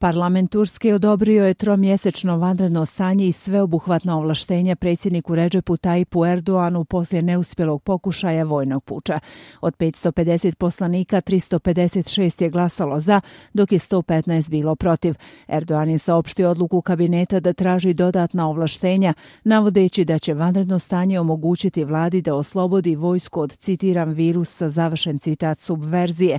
Parlament Turske odobrio je tromjesečno vanredno stanje i sveobuhvatna ovlaštenja predsjedniku Redžepu Tayyipu Erdoğanu poslije neuspjelog pokušaja vojnog puča. Od 550 poslanika 356 je glasalo za, dok je 115 bilo protiv. Erdoğan je saopštio odluku kabineta da traži dodatna ovlaštenja, navodeći da će vanredno stanje omogućiti vladi da oslobodi vojsku od, citiram, virusa, završen citat, subverzije.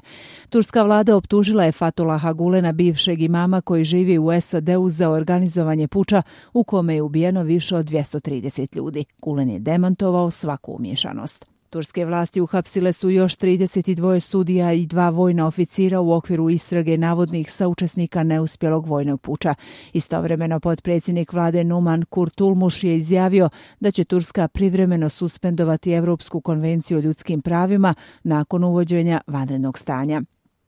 Turska vlada optužila je Fethullaha Gulena, bivšeg imama koji živi u SAD-u, za organizovanje puča u kome je ubijeno više od 230 ljudi. Gulen je demantovao svaku umiješanost. Turske vlasti uhapsile su još 32 sudija i 2 vojna oficira u okviru istrage navodnih saučesnika neuspjelog vojnog puča. Istovremeno potpredsjednik vlade Numan Kurtulmuš je izjavio da će Turska privremeno suspendovati Europsku konvenciju o ljudskim pravima nakon uvođenja vanrednog stanja.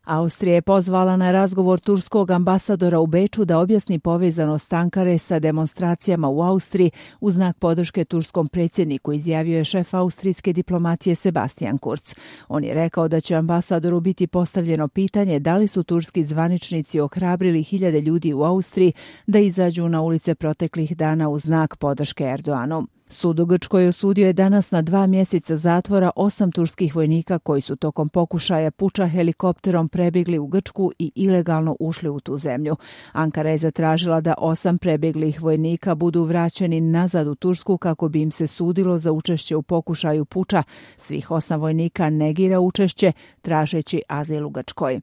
Austrija je pozvala na razgovor turskog ambasadora u Beču da objasni povezanost Ankare sa demonstracijama u Austriji u znak podrške turskom predsjedniku, izjavio je šef austrijske diplomacije Sebastian Kurz. On je rekao da će ambasadoru biti postavljeno pitanje da li su turski zvaničnici ohrabrili hiljade ljudi u Austriji da izađu na ulice proteklih dana u znak podrške Erdoğanu. Sud u Grčkoj osudio je danas na 2 mjeseca zatvora 8 turskih vojnika koji su tokom pokušaja puča helikopterom prebjegli u Grčku i ilegalno ušli u tu zemlju. Ankara je zatražila da 8 prebjeglih vojnika budu vraćeni nazad u Tursku kako bi im se sudilo za učešće u pokušaju puča. Svih 8 vojnika negira učešće, tražeći azil u Grčkoj.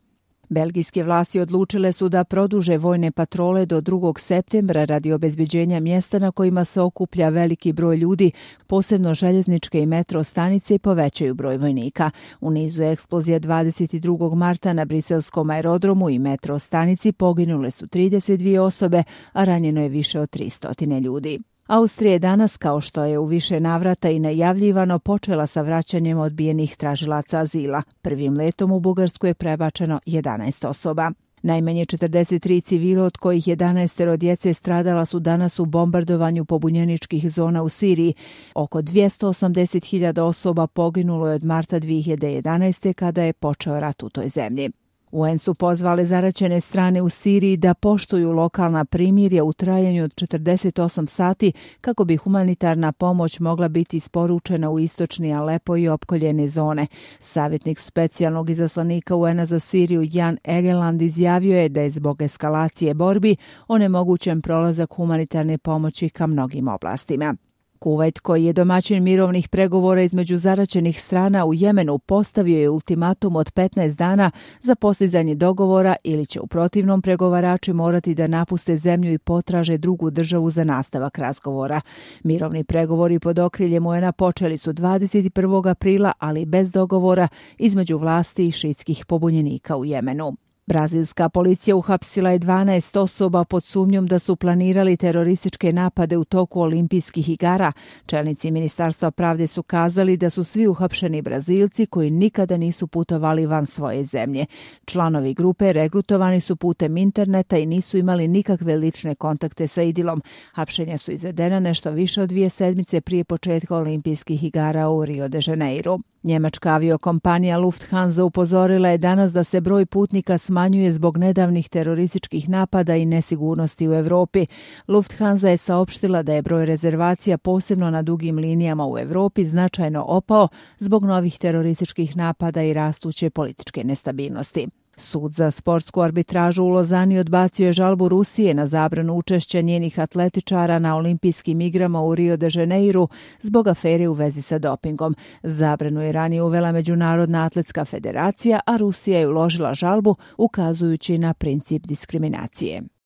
Belgijske vlasti odlučile su da produže vojne patrole do 2. septembra radi obezbeđenja mjesta na kojima se okuplja veliki broj ljudi, posebno željezničke i metro stanice, i povećaju broj vojnika. U nizu eksplozija 22. marta na briselskom aerodromu i metro stanici poginule su 32 osobe, a ranjeno je više od 300 ljudi. Austrija je danas, kao što je u više navrata i najavljivano, počela sa vraćanjem odbijenih tražilaca azila. Prvim letom u Bugarsku je prebačeno 11 osoba. Najmanje 43 civila, od kojih 11 djece, stradala su danas u bombardovanju pobunjeničkih zona u Siriji. Oko 280.000 osoba poginulo je od marta 2011. kada je počeo rat u toj zemlji. UN su pozvali zaraćene strane u Siriji da poštuju lokalna primirja u trajanju od 48 sati kako bi humanitarna pomoć mogla biti isporučena u istočni Alepo i opkoljene zone. Savjetnik specijalnog izaslanika UN-a za Siriju Jan Egeland izjavio je da je zbog eskalacije borbi onemogućen prolazak humanitarne pomoći ka mnogim oblastima. Kuvajt, koji je domaćin mirovnih pregovora između zaraćenih strana u Jemenu, postavio je ultimatum od 15 dana za postizanje dogovora ili će u protivnom pregovarači morati da napuste zemlju i potraže drugu državu za nastavak razgovora. Mirovni pregovori pod okriljem UN-a počeli su 21. aprila, ali bez dogovora između vlasti i šiitskih pobunjenika u Jemenu. Brazilska policija uhapsila je 12 osoba pod sumnjom da su planirali terorističke napade u toku olimpijskih igara. Čelnici Ministarstva pravde su kazali da su svi uhapšeni Brazilci koji nikada nisu putovali van svoje zemlje. Članovi grupe regrutovani su putem interneta i nisu imali nikakve lične kontakte sa IDIL-om. Hapšenja su izvedena nešto više od 2 sedmice prije početka olimpijskih igara u Rio de Janeiro. Njemačka aviokompanija Lufthansa upozorila je danas da se broj putnika smanjuje zbog nedavnih terorističkih napada i nesigurnosti u Europi. Lufthansa je saopštila da je broj rezervacija posebno na dugim linijama u Europi značajno opao zbog novih terorističkih napada i rastuće političke nestabilnosti. Sud za sportsku arbitražu u Lozani odbacio je žalbu Rusije na zabranu učešća njenih atletičara na olimpijskim igrama u Rio de Janeiru zbog afere u vezi sa dopingom. Zabranu je ranije uvela Međunarodna atletska federacija, a Rusija je uložila žalbu ukazujući na princip diskriminacije.